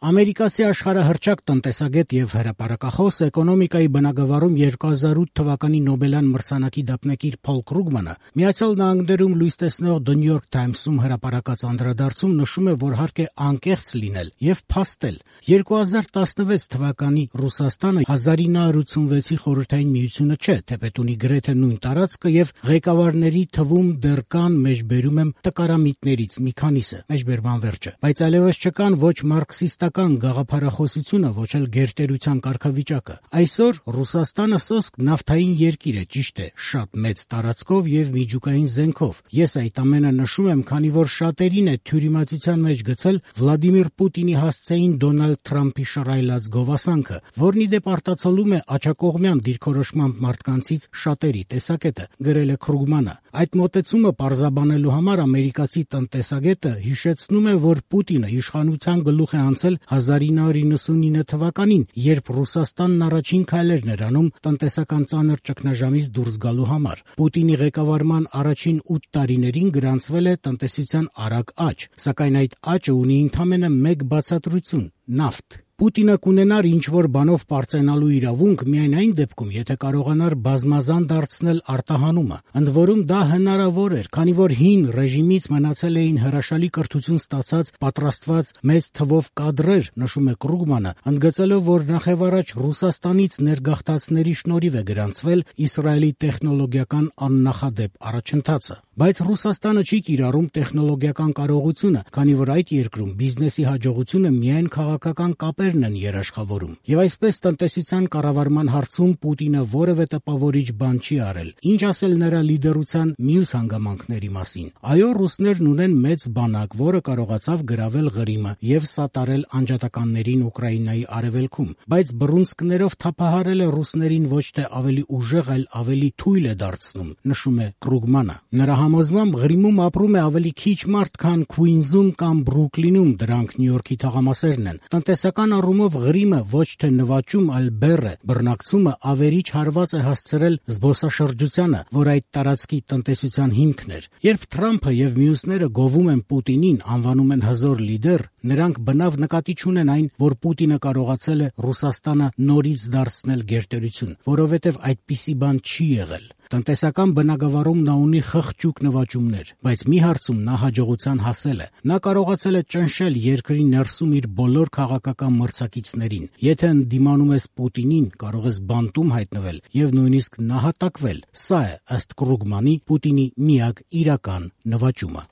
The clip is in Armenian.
Ամերիկացի աշխարհահռչակ տնտեսագետ եւ հրապարակախոս, էկոնոմիկայի բնագավառում 2008 թվականի Նոբելյան մրցանակի դափնեկիր Փոլ Կրուգմանը Միացյալ Նահանգներում լույս տեսնող The New York Times-ում հրապարակած անդրադարձում նշում է, որ հարկ է անկեղծ լինել եւ փաստել. 2016 թվականի Ռուսաստանը 1986-ի Խորհրդային Միությունը չէ, թեպետ ունի գրեթե նույն տարածքը եւ ղեկավարների թվում դեռ կան, մեջբերում եմ, տկարամիտներից մի քանիսը, մեջբերման վերջը, բայց այլևս չկան ոչ մարքսիստական գաղափարախոսությունը, ոչ էլ գերտերության կարգավիճակը։ Այսօր Ռուսաստանը սոսկ նավթային երկիր է, ճիշտ է, շատ մեծ տարածքով եւ միջուկային զենքով։ Ես այդ ամենը նշում եմ, քանի որ շատերին է թյուրիմացության մեջ գցել Վլադիմիր Պուտինի հասցեին Դոնալդ Թրամփի շռայլած գովասանքը, որն ի դեպ արտացոլում է աջակողմյան դիրքորոշմամբ մարդկանցից շատերի տեսակետը, գրել է Կրուգմանը։ Այդ մոտեցումը պարզաբանելու համար ամերիկացի տնտեսագետը հիշեցնում է, որ Պուտինը իշխանության գլուխ է անցել 1999 թվականին, երբ Ռուսաստանն առաջին քայլերն էր անում տնտեսական ծանր ճգնաժամից դուրս գալու համար։ Պուտինի ղեկավարման առաջին 8 տարիներին գրանցվել է տնտեսության արագ աճ, սակայն այդ աճը ունի ընդամենը մեկ բացատրություն՝ նավթ։ Պուտինը կունենար ինչ-որ բանով պարծենալու իրավունք միայն այն դեպքում, եթե կարողանար բազմազան դարձնել արտահանումը։ Ընդ որում դա հնարավոր էր, քանի որ հին ռեժիմից մնացել էին հրաշալի կրթություն ստացած պատրաստված մեծ թվով կադրեր, նշում է Կրուգմանը, ընդգծելով, որ նախևառաջ Ռուսաստանից ներգաղթածների շնորհիվ է գրանցվել Իսրայելի տեխնոլոգիական աննախադեպ առաջընթացը։ Բայց Ռուսաստանը չի կիրառում տեխնոլոգիական կարողությունը, քանի որ այդ երկրում բիզնեսի հաջողությունը միայն քաղաքական կապերն են երաշխավորում։ Եվ այսպես տնտեսության կառավարման հարցում Պուտինը որևէ տպավորիչ բան չի արել։ Ինչ ասել նրա լիդերության մյուս հանգամանքների մասին։ Այո, ռուսներն ունեն մեծ բանակ, որը կարողացավ գրավել Ղրիմը եւ սատարել անջատականներին Ուկրաինայի արևելքում, բայց բռունցքներով թափահարել է ռուսներին ոչ թե ավելի ուժեղ, այլ ավելի թույլ է դարձնում, նշում է Կրուգմանը։ Նրա համոզմամբ Ղրիմում ապրում է ավելի քիչ մարդ, քան Քուինզում կամ Բրուքլինում, դրանք Նյու Յորքի թաղամասերն են։ Տնտեսական առումով Ղրիմը ոչ թե նվաճում, այլ բեռ է։ Բռնակցումը ավերիչ հարված է հասցրել զբոսաշրջությանը, որ այդ տարածքի տնտեսության հիմքն էր։ Երբ Թրամփը եւ մյուսները գովում են Պուտինին, անվանում են հզոր լիդեր, նրանք բնավ նկատի չունեն այն, որ Պուտինը կարողացել է Ռուսաստանը նորից դարձնել գերտերություն, որովհետեւ այդպիսի բան չի եղել։ Տնտեսական բնագավառում նա ունի խղճուկ նվաճումներ, բայց մի հարցում նա հաջողության հասել է։ Նա կարողացել է ճնշել երկրի ներսում իր բոլոր քաղաքական մրցակիցներին։ Եթե ընդդիմանում ես Պուտինին, կարող ես բանտում հայտնվել եւ նույնիսկ նահատակվել։ Սա է, ըստ Կրուգմանի, Պուտինի միակ իրական նվաճումը։